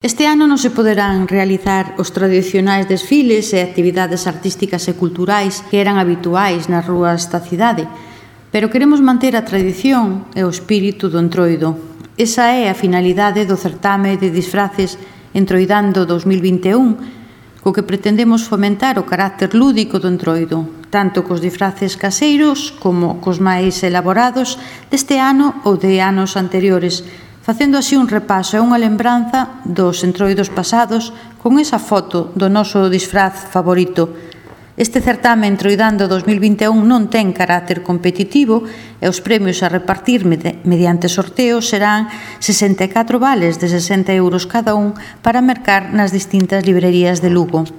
Este ano non se poderán realizar os tradicionais desfiles e actividades artísticas e culturais que eran habituais nas rúas da cidade, pero queremos manter a tradición e o espírito do Entroido. Esa é a finalidade do certame de disfraces Entroidando 2021, co que pretendemos fomentar o carácter lúdico do Entroido, tanto cos disfraces caseiros como cos máis elaborados deste ano ou de anos anteriores, facendo así un repaso e unha lembranza dos entroidos pasados con esa foto do noso disfraz favorito. Este certame Entroidando 2021 non ten carácter competitivo e os premios a repartir mediante sorteo serán 64 vales de 60 € cada un para mercar nas distintas librerías de Lugo.